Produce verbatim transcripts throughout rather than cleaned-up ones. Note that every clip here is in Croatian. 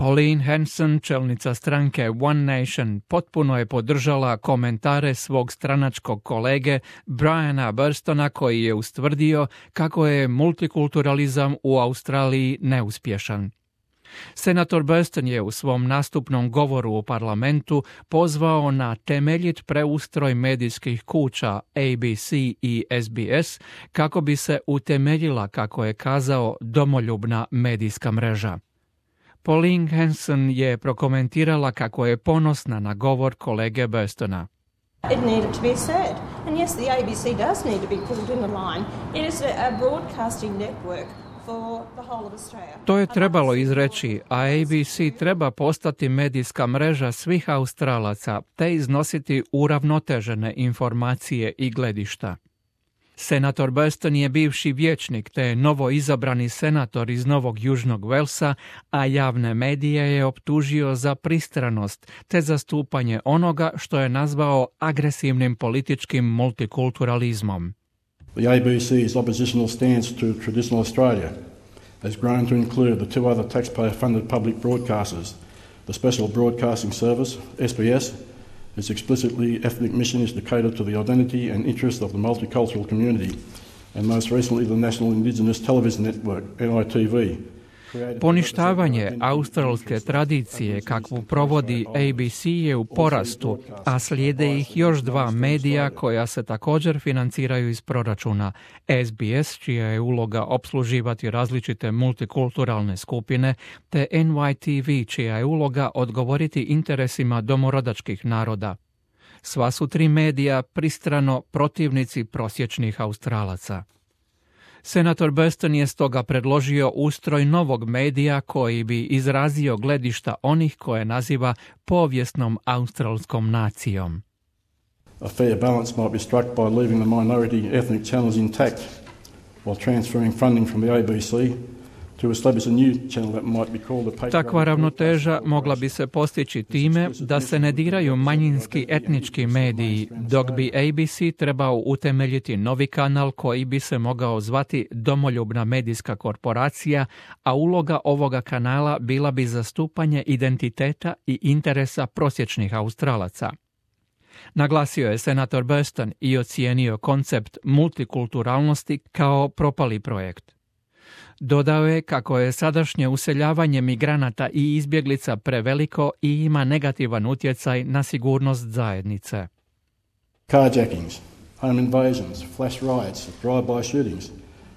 Pauline Hanson, čelnica stranke One Nation, potpuno je podržala komentare svog stranačkog kolege Briana Burstona koji je ustvrdio kako je multikulturalizam u Australiji neuspješan. Senator Burston je u svom nastupnom govoru u parlamentu pozvao na temeljit preustroj medijskih kuća A B C i S B S kako bi se utemeljila, kako je kazao, domoljubna medijska mreža. Pauline Hanson je prokomentirala kako je ponosna na govor kolege Burstona. It needed to be said. And yes, the A B C does need to be pulled in the line. It is a broadcasting network for the whole of Australia. To je trebalo izreći, a A B C treba postati medijska mreža svih Australaca te iznositi uravnotežene informacije i gledišta. Senator Burston je bivši vijećnik te novo izabrani senator iz Novog Južnog Velsa, a javne medije je optužio za pristranost te zastupanje onoga što je nazvao agresivnim političkim multikulturalizmom. The A B C's oppositional stance to traditional Australia has grown to include the two other taxpayer-funded public broadcasters, the Special Broadcasting Service, S B S. Its explicitly ethnic mission is to cater to the identity and interests of the multicultural community, and most recently the National Indigenous Television Network, N I T V. Poništavanje australske tradicije kakvu provodi A B C je u porastu, a slijede ih još dva medija koja se također financiraju iz proračuna. S B S, čija je uloga opsluživati različite multikulturalne skupine, te N Y T V, čija je uloga odgovoriti interesima domorodačkih naroda. Sva su tri medija pristrano protivnici prosječnih Australaca. Senator Burston je stoga predložio ustroj novog medija koji bi izrazio gledišta onih koje naziva povijesnom australskom nacijom. A fair balance might be struck by leaving the minority ethnic channels intact while transferring funding from the A B C to establish a new channel that might be called a patriotic. Takva ravnoteža mogla bi se postići time da se ne diraju manjinski etnički mediji, dok bi A B C trebao utemeljiti novi kanal koji bi se mogao zvati Domoljubna medijska korporacija, a uloga ovoga kanala bila bi zastupanje identiteta i interesa prosječnih Australaca. Naglasio je senator Burston i ocijenio koncept multikulturalnosti kao propali projekt. Dodao je kako je sadašnje useljavanje migranata i izbjeglica preveliko i ima negativan utjecaj na sigurnost zajednice. Carjackings, home invasions, flash riots, drive-by shootings,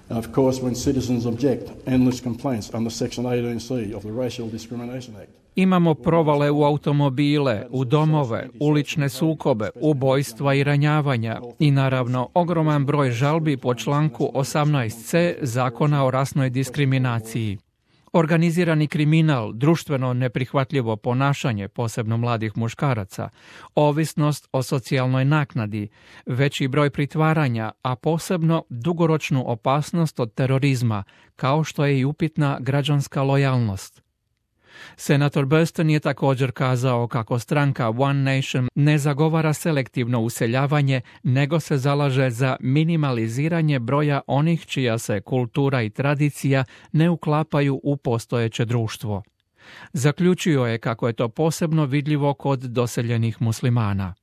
and of course when citizens object, endless complaints under Section eighteen C of the Racial Discrimination Act. Imamo provale u automobile, u domove, ulične sukobe, ubojstva i ranjavanja i naravno ogroman broj žalbi po članku osamnaest C Zakona o rasnoj diskriminaciji. Organizirani kriminal, društveno neprihvatljivo ponašanje, posebno mladih muškaraca, ovisnost o socijalnoj naknadi, veći broj pritvaranja, a posebno dugoročnu opasnost od terorizma, kao što je i upitna građanska lojalnost. Senator Burston je također kazao kako stranka One Nation ne zagovara selektivno useljavanje, nego se zalaže za minimaliziranje broja onih čija se kultura i tradicija ne uklapaju u postojeće društvo. Zaključio je kako je to posebno vidljivo kod doseljenih muslimana.